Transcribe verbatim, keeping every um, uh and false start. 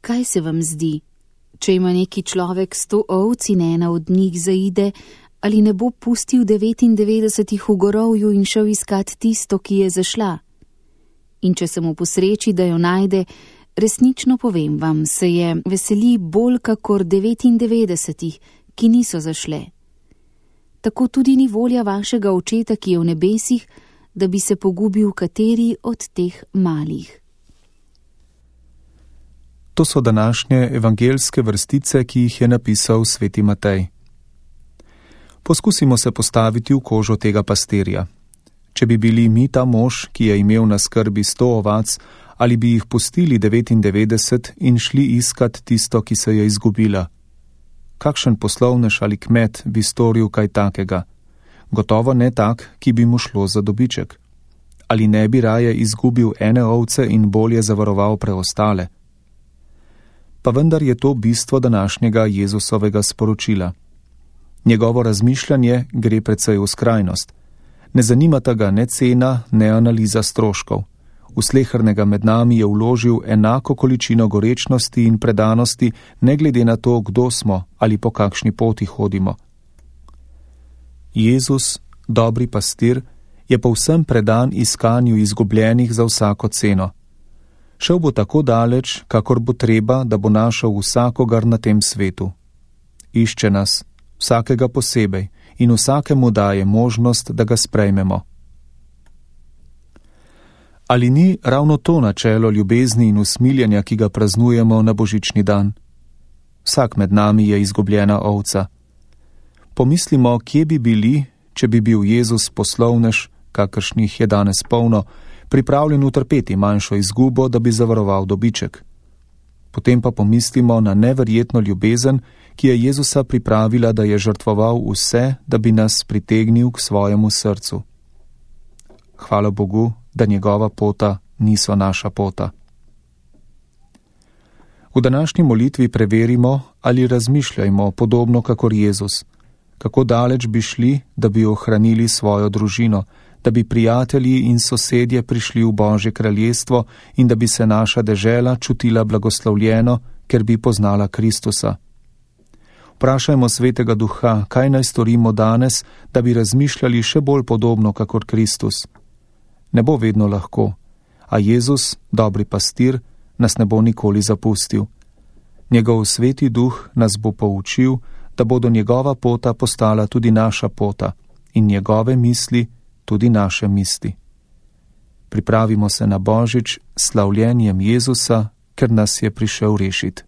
Kaj se vam zdi? Če ima neki človek sto ovc in ena od njih zaide, ali ne bo pustil devetindevetdesetih v gorovju in šel iskat tisto, ki je zašla? In če se mu posreči, da jo najde, resnično povem vam, se je veseli bolj kakor devetindevetdesetih, ki niso zašle. Tako tudi ni volja vašega očeta, ki je v nebesih, da bi se pogubil kateri od teh malih. To so današnje evangeljske vrstice, ki jih je napisal sveti Matej. Poskusimo se postaviti v kožo tega pastirja. Če bi bili mi ta mož, ki je imel na skrbi sto ovac, ali bi jih pustili devetindevetdeset in šli iskat tisto, ki se je izgubila? Kakšen poslovnež ali kmet bi storil kaj takega? Gotovo ne tak, ki bi mu šlo za dobiček. Ali ne bi raje izgubil ene ovce in bolje zavaroval preostale? Pa vendar je to bistvo današnjega Jezusovega sporočila. Njegovo razmišljanje gre precej v skrajnost. Ne zanimata ga ne cena, ne analiza stroškov. V slehernega med nami je vložil enako količino gorečnosti in predanosti, ne glede na to, kdo smo ali po kakšni poti hodimo. Jezus, dobri pastir, je povsem predan iskanju izgubljenih za vsako ceno. Šel bo tako daleč, kakor bo treba, da bo našel vsakogar na tem svetu. Išče nas, vsakega posebej, in vsakemu daje možnost, da ga sprejmemo. Ali ni ravno to načelo ljubezni in usmiljenja, ki ga praznujemo na božični dan? Vsak med nami je izgubljena ovca. Pomislimo, kje bi bili, če bi bil Jezus poslovnež, kakršnih je danes polno, pripravljen utrpeti manjšo izgubo, da bi zavaroval dobiček. Potem pa pomislimo na neverjetno ljubezen, ki je Jezusa pripravila, da je žrtvoval vse, da bi nas pritegnil k svojemu srcu. Hvala Bogu, da njegova pota niso naša pota. V današnji molitvi preverimo ali razmišljajmo podobno kakor Jezus, kako daleč bi šli, da bi ohranili svojo družino, da bi prijatelji in sosedje prišli v Božje kraljestvo in da bi se naša dežela čutila blagoslovljeno, ker bi poznala Kristusa. Vprašajmo Svetega Duha, kaj naj storimo danes, da bi razmišljali še bolj podobno kakor Kristus. Ne bo vedno lahko, a Jezus, dobri pastir, nas ne bo nikoli zapustil. Njegov Sveti Duh nas bo poučil, da bodo njegova pota postala tudi naša pota in njegove misli tudi naše misli. Pripravimo se na Božič s slavljenjem Jezusa, ker nas je prišel rešiti.